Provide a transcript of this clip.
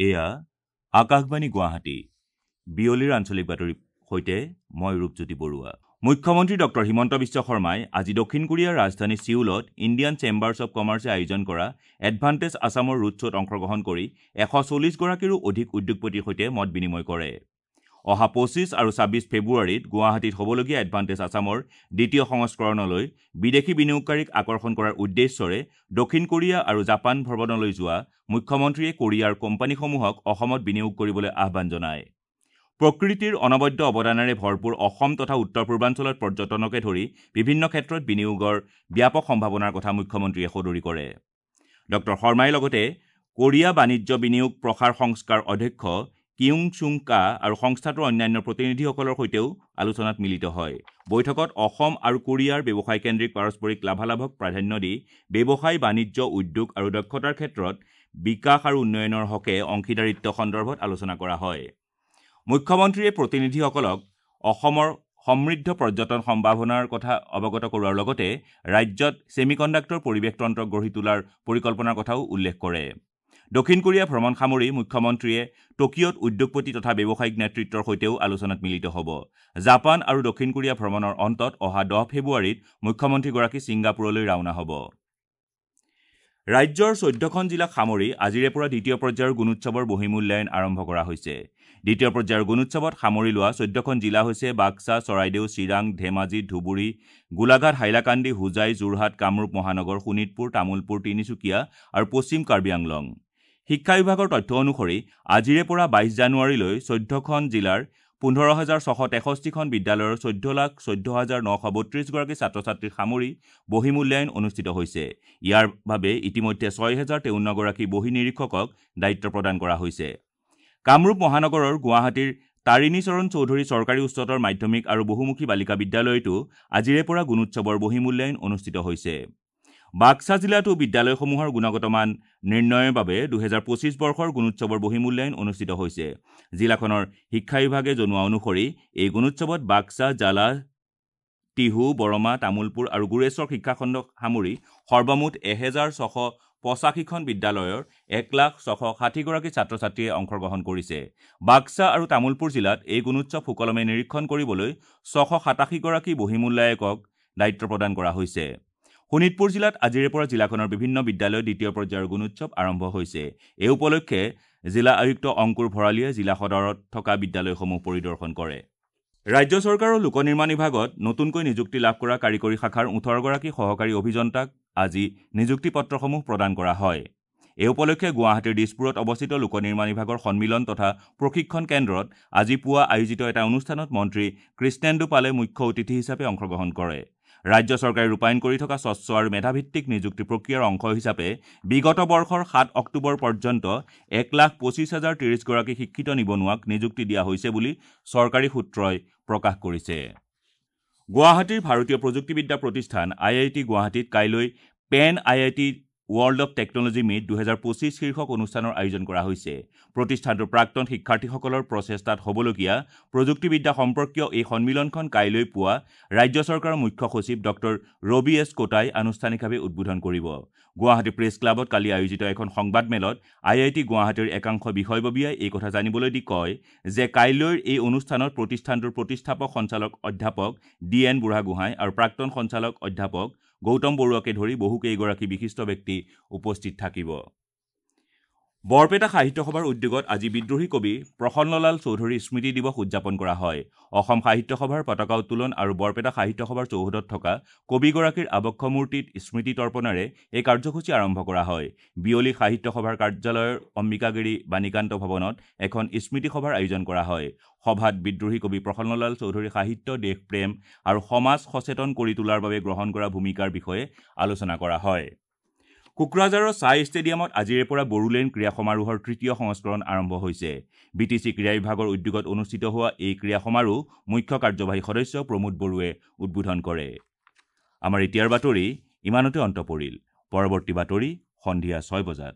এয়া আকাশবাণী গুৱাহাটী। বিয়লিৰ আঞ্চলিক বাতৰিৰ সৈতে মই ৰূপজ্যোতি বৰুৱা। মুখ্যমন্ত্ৰী ডক্টৰ হিমন্ত বিশ্ব শৰ্মাই আজি দক্ষিণ কোৰিয়াৰ ৰাজধানী ছিউলত ইণ্ডিয়ান চেম্বাৰ্ছ অৱ কমাৰ্চে আয়োজন কৰা এডভান্টেজ আছামৰ ৰোড শ্ব'ত অংশগ্ৰহণ কৰি 140 গৰাকীৰো অধিক উদ্যোগপতিৰ সৈতে মত বিনিময় কৰে। অহা 25 আৰু 26 ফেব্ৰুৱাৰীত গুৱাহাটীত হ'বলগীয়া এডভান্টেজ আছামৰ দ্বিতীয় সংস্কৰণলৈ বিদেশী বিনিয়োগকাৰীক আকৰ্ষণ কৰাৰ উদ্দেশ্যৰে দক্ষিণ কোৰিয়া আৰু জাপান ভ্ৰমণলৈ যোৱা মুখ্যমন্ত্ৰীয়ে কোৰিয়াৰ কোম্পানীসমূহক অসমত বিনিয়োগ কৰিবলৈ আহ্বান জনায়। প্ৰকৃতিৰ অনবদ্য অৱদানেৰে ভৰপূৰ অসম তথা উত্তৰ পূৰ্বাঞ্চলত পৰ্যটনকে ধৰি বিভিন্ন ক্ষেত্ৰত বিনিয়োগৰ ব্যাপক সম্ভাৱনাৰ কথা মুখ্যমন্ত্ৰীয়ে সদৰি কৰে। ডক্টৰ শৰ্মাই লগতে কোৰিয়া বাণিজ্য বিনিয়োগ প্ৰসাৰ সংস্থাৰ অধ্যক্ষ কিউং চুং কা আৰু সংস্থাটোৰ অন্যান্য প্ৰতিনিধিসকলৰ সৈতেও আলোচনাত মিলিত হয়। বৈঠকত অসম আৰু কোৰিয়াৰ ব্যৱসায়কেন্দ্ৰিক পাৰস্পৰিক লাভালাভক প্ৰাধান্য দি ব্যৱসায়, বাণিজ্য, উদ্যোগ আৰু দক্ষতাৰ ক্ষেত্ৰত বিকাশ আৰু উন্নয়নৰ হকে অংশীদাৰিত্ব সন্দৰ্ভত আলোচনা কৰা হয়। মুখ্যমন্ত্ৰীয়ে প্ৰতিনিধিসকলক অসমৰ সমৃদ্ধ পৰ্যটন সম্ভাৱনাৰ কথা অৱগত কৰোৱাৰ লগতে ৰাজ্যত ছেমিকণ্ডাক্টৰ পৰিৱেশ তন্ত্ৰ গঢ়ি তোলাৰ পৰিকল্পনাৰ কথাও উল্লেখ কৰে। দক্ষিণ কোৰিয়া ভ্ৰমণ সামৰি মুখ্যমন্ত্ৰীয়ে টকিঅ'ত উদ্যোগপতি তথা ব্যৱসায়িক নেতৃত্বৰ সৈতেও আলোচনাত মিলিত হ'ব। জাপান আৰু দক্ষিণ কোৰিয়া ভ্ৰমণৰ অন্তত অহা 10 ফেব্ৰুৱাৰীত মুখ্যমন্ত্ৰীগৰাকী ছিংগাপুৰলৈ ৰাওনা হ'ব। ৰাজ্যৰ 14খন জিলাক সামৰি আজিৰে পৰা দ্বিতীয় পৰ্যায়ৰ গুণোৎসৱৰ বহিমূল্যায়ন আৰম্ভ কৰা হৈছে। দ্বিতীয় পৰ্যায়ৰ গুণোৎসৱত সামৰি লোৱা 14খন জিলা হৈছে বাক্সা, চৰাইদেউ, চিৰাং, ধেমাজি, ধুবুৰী, গোলাঘাট, হাইলাকান্দি, হোজাই, যোৰহাট, কামৰূপ মহানগৰ, শোণিতপুৰ, তামুলপুৰ, তিনিচুকীয়া আৰু পশ্চিম কাৰ্বি আংলং। শিক্ষা বিভাগৰ তথ্য অনুসৰি আজিৰে পৰা 22 জানুৱাৰীলৈ 14খন জিলাৰ 15,663খন বিদ্যালয়ৰ 14,14,932 গৰাকী ছাত্ৰ ছাত্ৰীক সামৰি বহিমূল্যায়ন অনুষ্ঠিত হৈছে। ইয়াৰ বাবে ইতিমধ্যে 6053 গৰাকী বহি নিৰীক্ষকক দায়িত্ব প্ৰদান কৰা হৈছে। কামৰূপ মহানগৰৰ গুৱাহাটীৰ তাৰিণীচৰণ চৌধুৰী চৰকাৰী উচ্চতৰ মাধ্যমিক আৰু বহুমুখী বালিকা বিদ্যালয়তো আজিৰে পৰা গুণোৎসৱৰ বহিমূল্যায়ন অনুষ্ঠিত হৈছে। বাক্সা জিলাতো বিদ্যালয়সমূহৰ গুণগত মান নিৰ্ণয়ৰ বাবে 2025 বৰ্ষৰ গুণোৎসৱৰ বহিমূল্যায়ন অনুষ্ঠিত হৈছে। জিলাখনৰ শিক্ষা বিভাগে জনোৱা অনুসৰি এই গুণোৎসৱত বাক্সা, জালাহ, টিহু, বৰমা, তামুলপুৰ আৰু গোৰেশ্বৰ শিক্ষাখণ্ডক সামৰি সৰ্বমুঠ 1685খন বিদ্যালয়ৰ 1,00,660 গৰাকী ছাত্ৰ ছাত্ৰীয়ে অংশগ্ৰহণ কৰিছে। বাক্সা আৰু তামুলপুৰ জিলাত এই গুণোৎসৱ সুকলমে নিৰীক্ষণ কৰিবলৈ 687 গৰাকী বহিমূল্যায়কক দায়িত্ব প্ৰদান কৰা হৈছে। শোণিতপুৰ জিলাত আজিৰে পৰা জিলাখনৰ বিভিন্ন বিদ্যালয়ত দ্বিতীয় পৰ্যায়ৰ গুণোৎসৱ আৰম্ভ হৈছে। এই উপলক্ষে জিলা আয়ুক্ত অংকুৰ ভৰালীয়ে জিলা সদৰত থকা বিদ্যালয়সমূহ পৰিদৰ্শন কৰে। ৰাজ্য চৰকাৰৰ লোক নিৰ্মাণ বিভাগত নতুনকৈ নিযুক্তি লাভ কৰা কাৰিকৰী শাখাৰ 18 গৰাকী সহকাৰী অভিযন্তাক আজি নিযুক্তি পত্ৰসমূহ প্ৰদান কৰা হয়। এই উপলক্ষে গুৱাহাটীৰ দিছপুৰত অৱস্থিত লোক নিৰ্মাণ বিভাগৰ সন্মিলন তথা প্ৰশিক্ষণ কেন্দ্ৰত আজি পুৱা আয়োজিত এটা অনুষ্ঠানত মন্ত্ৰী কৃষ্ণেন্দু পালে মুখ্য অতিথি হিচাপে অংশগ্ৰহণ কৰে। ৰাজ্য চৰকাৰে ৰূপায়ণ কৰি থকা স্বচ্ছ আৰু মেধাভিত্তিক নিযুক্তি প্ৰক্ৰিয়াৰ অংশ হিচাপে বিগত বৰ্ষৰ 7 অক্টোবৰ পৰ্যন্ত 1,25,030 গৰাকী শিক্ষিত নিবনুৱাক নিযুক্তি দিয়া হৈছে বুলি চৰকাৰী সূত্ৰই প্ৰকাশ কৰিছে। গুৱাহাটীৰ ভাৰতীয় প্ৰযুক্তিবিদ্যা প্ৰতিষ্ঠান আই I T গুৱাহাটীত কাইলৈ PAN IIT World of Technology Meet 2025 শীৰ্ষক অনুষ্ঠানৰ আয়োজন কৰা হৈছে। প্ৰতিষ্ঠানটোৰ প্ৰাক্তন শিক্ষাৰ্থীসকলৰ প্ৰচেষ্টাত হ'বলগীয়া প্ৰযুক্তিবিদ্যা সম্পৰ্কীয় এই সন্মিলনখন কাইলৈ পুৱা ৰাজ্য চৰকাৰৰ মুখ্য সচিব ডক্টৰ ৰবি এছ কোটাই আনুষ্ঠানিকভাৱে উদ্বোধন কৰিব। গুৱাহাটী প্ৰেছ ক্লাবত কালি আয়োজিত এখন সংবাদমেলত আই I T গুৱাহাটীৰ একাংশ বিষয়ববীয়াই এই কথা জানিবলৈ দি কয় যে কাইলৈৰ এই অনুষ্ঠানত প্ৰতিষ্ঠানটোৰ প্ৰতিষ্ঠাপক সঞ্চালক অধ্যাপক ডি এন বুঢ়াগোহাঁই আৰু প্ৰাক্তন সঞ্চালক অধ্যাপক গৌতম বৰুৱাকে ধৰি বহুকেইগৰাকী বিশিষ্ট ব্যক্তি উপস্থিত থাকিব। বৰপেটা সাহিত্য সভাৰ উদ্যোগত আজি বিদ্ৰোহী কবি প্ৰসন্নলাল চৌধুৰীৰ স্মৃতি দিৱস উদযাপন কৰা হয়। অসম সাহিত্য সভাৰ পতাকা উত্তোলন আৰু বৰপেটা সাহিত্য সভাৰ চৌহদত থকা কবিগৰাকীৰ আৱক্ষ মূৰ্তিত স্মৃতি তৰ্পণেৰে এই কাৰ্যসূচী আৰম্ভ কৰা হয়। বিয়লি সাহিত্য সভাৰ কাৰ্যালয়ৰ অম্বিকাগিৰি বাণীকান্ত ভৱনত এখন স্মৃতি সভাৰ আয়োজন কৰা হয়। সভাত বিদ্ৰোহী কবি প্ৰসন্নলাল চৌধুৰীৰ সাহিত্য, দেশপ্ৰেম আৰু সমাজ সচেতন কৰি তোলাৰ বাবে গ্ৰহণ কৰা ভূমিকাৰ বিষয়ে আলোচনা কৰা হয়। কোকৰাঝাৰৰ ছাই ষ্টেডিয়ামত আজিৰে পৰা বড়োলেণ্ড ক্ৰীড়া সমাৰোহৰ তৃতীয় সংস্কৰণ আৰম্ভ হৈছে। বি টি চি ক্ৰীড়া বিভাগৰ উদ্যোগত অনুষ্ঠিত হোৱা এই ক্ৰীড়া সমাৰোহ মুখ্য কাৰ্যবাহী সদস্য প্ৰমোদ বড়োৱে উদ্বোধন কৰে। আমাৰ এতিয়াৰ বাতৰি ইমানতে অন্ত পৰিল। পৰৱৰ্তী বাতৰি সন্ধিয়া 6 বজাত।